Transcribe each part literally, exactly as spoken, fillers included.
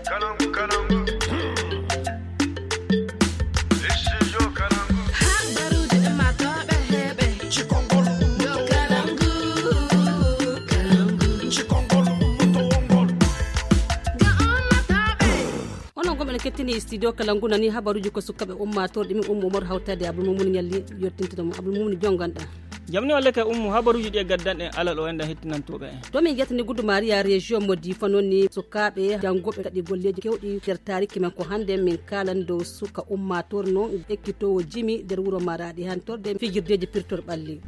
Habaruuji ɗin maa tooɓe heeɓe. Yo Kalangu, Kalangu. Ga ummatooɓe. Onon gomɓe no kettini studio Kalangu nani habaruuji ko sukaɓe ummatooɓe ɗumen ummo umor hawtade Abdul Mumun Ñalli. Yottintinamo Abdul Mumun jonganɗa. Jamni walla kay ummu habaruuji ɗi e gaddanɗen alal o enɗan hettinantooɓe en. To min ƴettani Gudu Maria région mo Difa noon ni sukaaɓe janngooɓe gaɗi golleeji keewɗi nder taariki men ko hannde min kaalan dow suka ummaatoor noon ekkitoowo jimi nder wuro Maraɗi hantorde fijirdeeji pirtor ɓalli.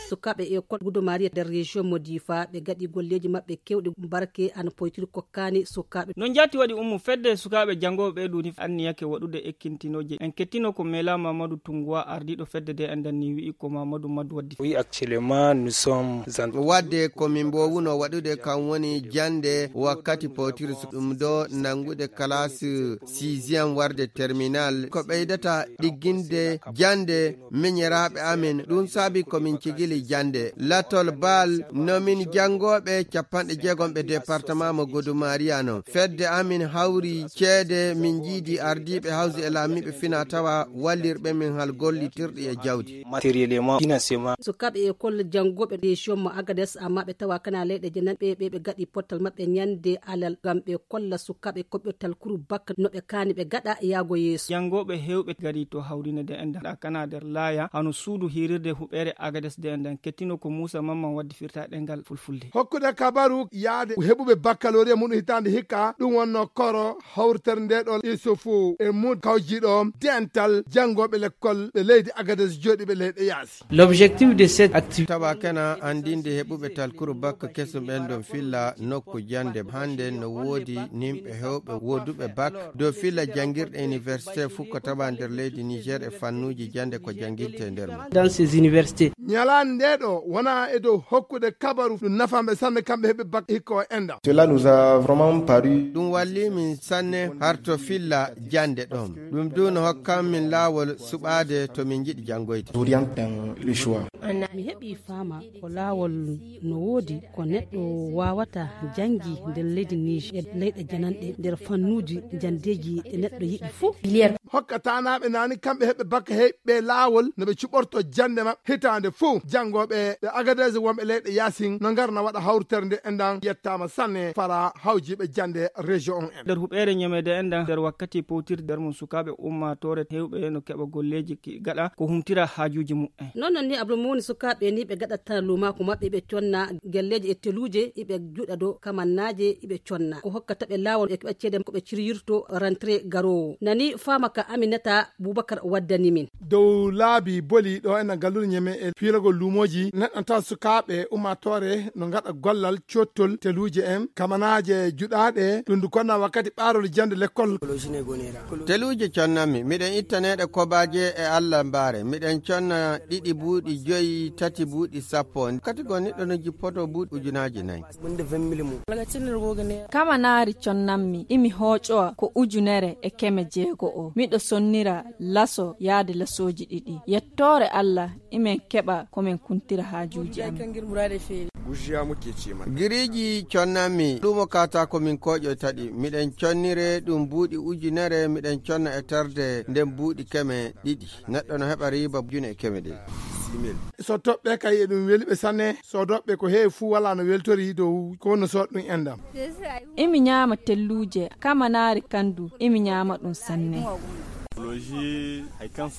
Sukaaɓe école Gudu Maria nder région mo Difa ɓe gaɗi golleeji maɓɓe keewɗi barke ana poytiri kokkaani sukaaɓe. No njaati waɗi ummu fedde sukaaɓe janngooɓe ɓee duuni anniyake waɗude ekkintinooje en kettino ko Mela Mamadou Tunguwa ardiiɗo fedde de enɗan ni wi'i ko Mamadou Madou waddi. Oui, actuellement nous sommes en wadde ko min mbowuno waɗude kam woni jannde wakkati potiri ɗum ɗo nanngude classe sixième warde terminal ko ɓeydata ɗigginde jannde miñiraaɓe amin ɗum saabi ko min cigili jannde latol baal no min janngooɓe capanɗe jeegom ɓe département mo Godu Maria non fedde amin hawri ceede min njiidi ardiiɓe hawsi e laamiiɓe fina tawa wallirɓe min hal gollitirɗi e jawdi matériellement financièrement. Sukaaɓe école janngooɓe région mo Agadez amma ɓe tawa kana leyɗe jenan ɓe ɓe ɓe gaɗi pottal maɓɓe ñande alal ngam ɓe kolla sukaaɓe koɓɓirtal kuru bakka no ɓe kaani ɓe gaɗa yaago yeeso. Janngooɓe heewɓe gari to hawrine de enɗan ɗa kana nder laaya hano suudu hirirde huɓeere Agadez de enɗan kettino ko Muusa Mamman waddi firta ɗengal fulfulde. Hokkude kabaru yaade heɓuɓe baccalauréat muɗum hitaande hikka ɗum wonno koro hawritere nde ɗo isufu e mud kawjiɗo dental janngooɓe lekkol ɓe leydi Agadez jooɗiiɓe leyɗe yaasi. L'objectif de cette activité tawa kena anndinde heɓuɓe talkuru bakka kesum ɓen ɗon filla nokku jannde hannde no woodi nimɓe heewɓe wooduɓe bak dow filla janngirɗe université fof ko tawa nder leydi Niger e fannuuji jannde ko jannginte e nder mum. Dans ces universités. Ñalaande nde ɗo wona e dow hokkude kabaru ɗum nafaɓe sanne kamɓe heɓe bak hikka o enɗan. Cela nous a vraiment paru. Ɗum walli min sanne harto filla jannde ɗon ɗum du no hokkan min laawol suɓaade to min njiɗi janngoyde. Oriente dans le choix. Mi heɓi faama ko laawol no woodi ko neɗɗo waawata janngi nder leydi Niger e leyɗe jananɗe nder fannuuji janndeeji ɗe neɗɗo yiɗi fuu. Hokka taanaaɓe naani kamɓe heɓe bakka heɓɓe laawol no ɓe cuɓorto jannde maɓɓe hitaande fuu janngooɓe ɓe Agadez wonɓe leyɗe yaasin no ngarna waɗa hawritere nde enɗan yettaama sanne fara hawjiiɓe jannde région on en. Nder huɓeere ñameede enɗan nder wakkati powtirde nder mum sukaaɓe ummaatoore heewɓe no keɓa golleeji gaɗa ko humtira haajuuji muɓɓen. Noon noon ni Abdul Muuni sukaaɓe ni ɓe gaɗata luumaaku maɓɓe ɓe conna gelleeji e teluuje iɓe juɗa dow kamannaaje iɓe conna ko hokkata ɓe laawol e keɓa ceede ko ɓe ciryirto rentrée garoowo nani faama ka Aminata Bubakar waddani min. Dow laabi boli ɗo ena gallude ñeme e fiilagol luumooji neɗɗo tawa sukaaɓe ummaatoore no ngaɗa gollal cottol teluuje en kamanaaje juɗaaɗe ɗum ndu konna wakkati ɓaarol jannde lekkol. Teluuje connanmi miɗen ittaneeɗe kobaaje e Allah mbaare miɗen conna ɗiɗi buuɗi joyi tati buuɗi sappo kati goo niɗɗo no jippoto buuɗi ujunaaji nayi. Kamanaari connanmi imi hooƴowa ko ujunere e keme jeego o miɗo sonnira laso yaade lasooji ɗiɗi yettoore Allah imin keɓa ko min kuntira haajuuji amin. Giriiji connanmi luumo kaataako min kooƴoyta ɗi miɗen connire ɗum buuɗi ujunere miɗen conna e terde nden buuɗi keme ɗiɗi neɗɗo no heɓa riiba june e keme ɗiɗi. So toɓɓe kay eɗum weli ɓe sanne so doɓɓe ko heewi fuu wala no weltori dow ko wonno so ɗum enɗam. Imi ñaama telluuje kamanaari kandu imi ñaama ɗum sanne.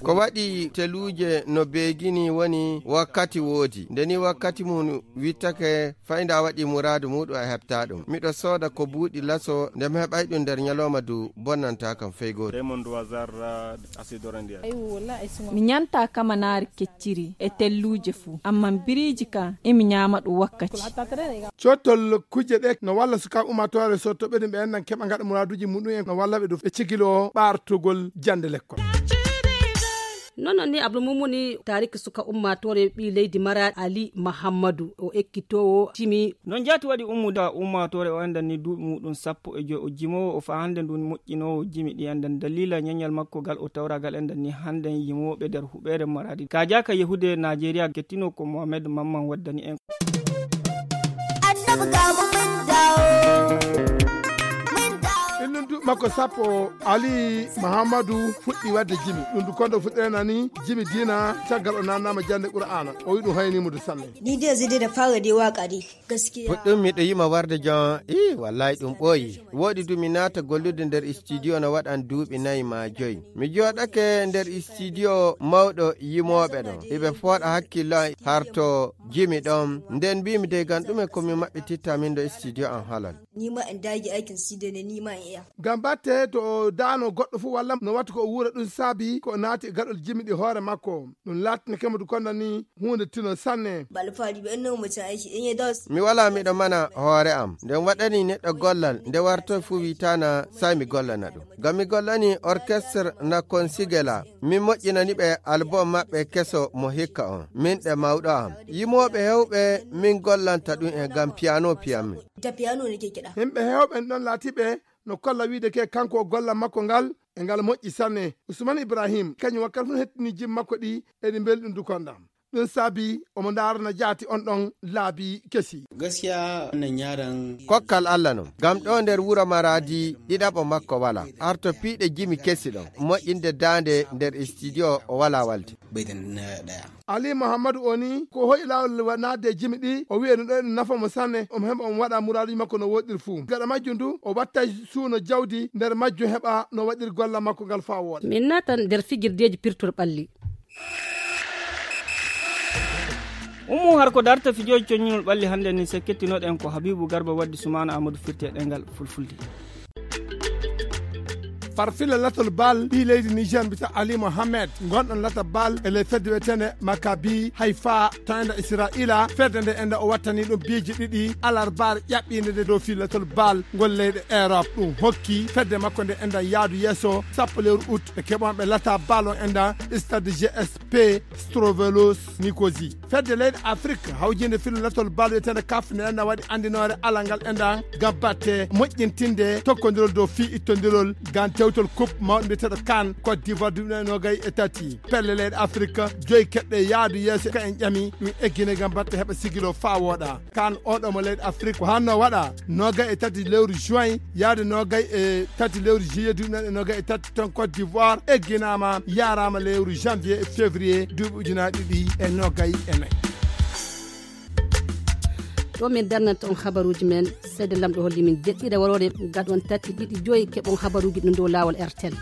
Ko waɗi teluuje no beegini woni wakkati woodi nde ni wakkati mum wittake fay nda waɗi muraadu muɗum a heɓta ɗum miɗo sooda ko buuɗi laso nde mi heɓay ɗum nder ñalawma du bonnanta kam fey gooto. Mi ñanta kamanaari kecciri e telluuje fuu amma biriiji kan imi ñaama ɗum wakkati. Cottol kujje ɗe no walla sukaaɓe ummaatoore so toɓɓe ɗum ɓe enɗan keɓa ngaɗa muraaduuji muɗum en no walla ɓe ɗum e cigilo ɓaartugol jannde lekkol. Noon noon ni Abdul Mumuni taariki suka ummaatoore ɓii leydi Mara Ali Mahammadu o ekkitoowo jimi. Noon jaati waɗi ummude ummaatoore o enɗan ni duuɓi muɗum sappo e joy o jimoowo o faa hannde ndun moƴƴinoowo jimi ɗi enɗan daliila ñañal makko gal o tawragal enɗan ni hannde yimooɓe nder huɓeere Maraadi kaajaaka yahude Naajeeriya kettino ko Mohamed Mamman waddani en. Annabi ga mu mun dawo. Makko sappo, Ali Mahammadu fuɗɗi waɗde jimi. Ɗum du kondo fuɗɗirena ni jimi diina, caggal o namnama jannde Qur'aana. O wi ɗum hayni mo du sanne. Ni dai zai dai da fara dai waka dai. Gaskiya. Puɗɗum miɗo yima warde jon, ii, wallahi ɗum ɓooyi. Woɗi du mi naata gollude nder studio no waɗan duuɓi nayi ma joyi. Mi jooɗake nder studio mawɗo yimooɓe ɗon. Iɓe fooɗa hakkillo am harto jimi ɗon. Nden mbiimi dey gam ɗume ko mi maɓɓititta min ɗo studio am halal. Ni ma in dage aikin studio ne, ni ma in iya. Ngam batte to o daano goɗɗo fu walla no watti ko o wuura ɗum saabi ko o naati e gaɗol jimi ɗi hoore makko. Ɗum laatinake mo du konda ni huunde tino sanne. Ba alfahari ba, in na mutum aiki, in ya dawo. Mi wala miɗo mana hoore am. Nde waɗani neɗɗo gollal, nde wartoy fu witana sai mi gollana ɗum. Ngam mi gollani orchestre na Consigela. Min moƴƴinani ɓe album maɓɓe keso mo hikka on. Min ɗe mawɗo am. Yimooɓe hewɓe min gollanta ɗum e ngam piano piyanmi. Da piano nake kiɗa. Himɓe hewɓe en ɗon laatiɓe no kolla wiide ke kanko o golla makko ngal e ngal moƴƴi sanne. Usman Ibrahim, kañum wakkati fof hettini jim makko ɗi, eɗi mbeli ɗum du konda. Ɗum saabi omo ndaarana jaati on ɗon laabi kesi. Gaskiya wannan yaron. Kokkal Allah non. Ngam ɗo nder wuro Maradi ɗiɗaɓo makko wala. Arto piiɗe jimi kesi ɗon. Moƴƴinde daande nder studio o wala walde. Bai da na ɗaya. Ali Muhammadu o ni ko hoyi laawol wa-, naatde e jimi ɗi, o wi'i no ɗo ene nafa mo sanne, omo heɓa omo waɗa muraaduuji makko no woɗɗiri fuu. Gaɗa majjum du, o watta suuno jawdi nder majjum heɓa no waɗiri golla makko ngal faa wooɗa. Min naatan nder fijirdeeji pirtol ɓalli. Ummu har ko darta fijooji coññinol ɓalli hannde ni, se kettinoɗen ko Habibu Garba waddi Sumaana Amadou firti e ɗengal fulfulde. Farfilla latol bal ɓii leydi Niger mbita Ali Mohamed, gonɗon lata bal e ley fedde wiyetende Maccabi Haifa to enda Israila. Fedde nde enda o wattani ɗum biiji ɗiɗi alarbar ƴaɓɓinde nde dow fii latol bal ngol leyɗe Europe. Ɗum hokki fedde makko nde enda yaadu yeeso sappo lewru août e keɓonɓe lata bal on enda stade G S P Strovelos Nicosie. Fedde leyɗe Afrique hawjinde fillo latol bal wiyetende kaf nde enda waɗi andinoore alal ngal enda ngam batte moƴƴintinde tokkodirol dow fii ittodirol ngam tewtol coupe mawɗo mbiyeteɗo kan Côte d'Ivoire duuɓi nogay e tati. Pelle leyɗe Afrique joyi keɓɗe yaadu yeeso ka en ƴami ɗum eggine ngam batte heɓa sigilo faa wooɗa. Kan oɗo mo leyɗe Afrique ko hanno waɗa nogay e tati lewru juin yaade nogay e tati lewru juillet duuɓi nogay e tati ton Côte d'Ivoire egginama yarama lewru janvier e février duuɓi ujunaaji ɗiɗi e nogay e nayi. Ɗo min darnanta on habaruuji men, seede lamɗo holli min deɗɗiɗa waroore gaɗon tati ɗiɗi joyi keɓon habaruuji ɗum dow laawol R T L.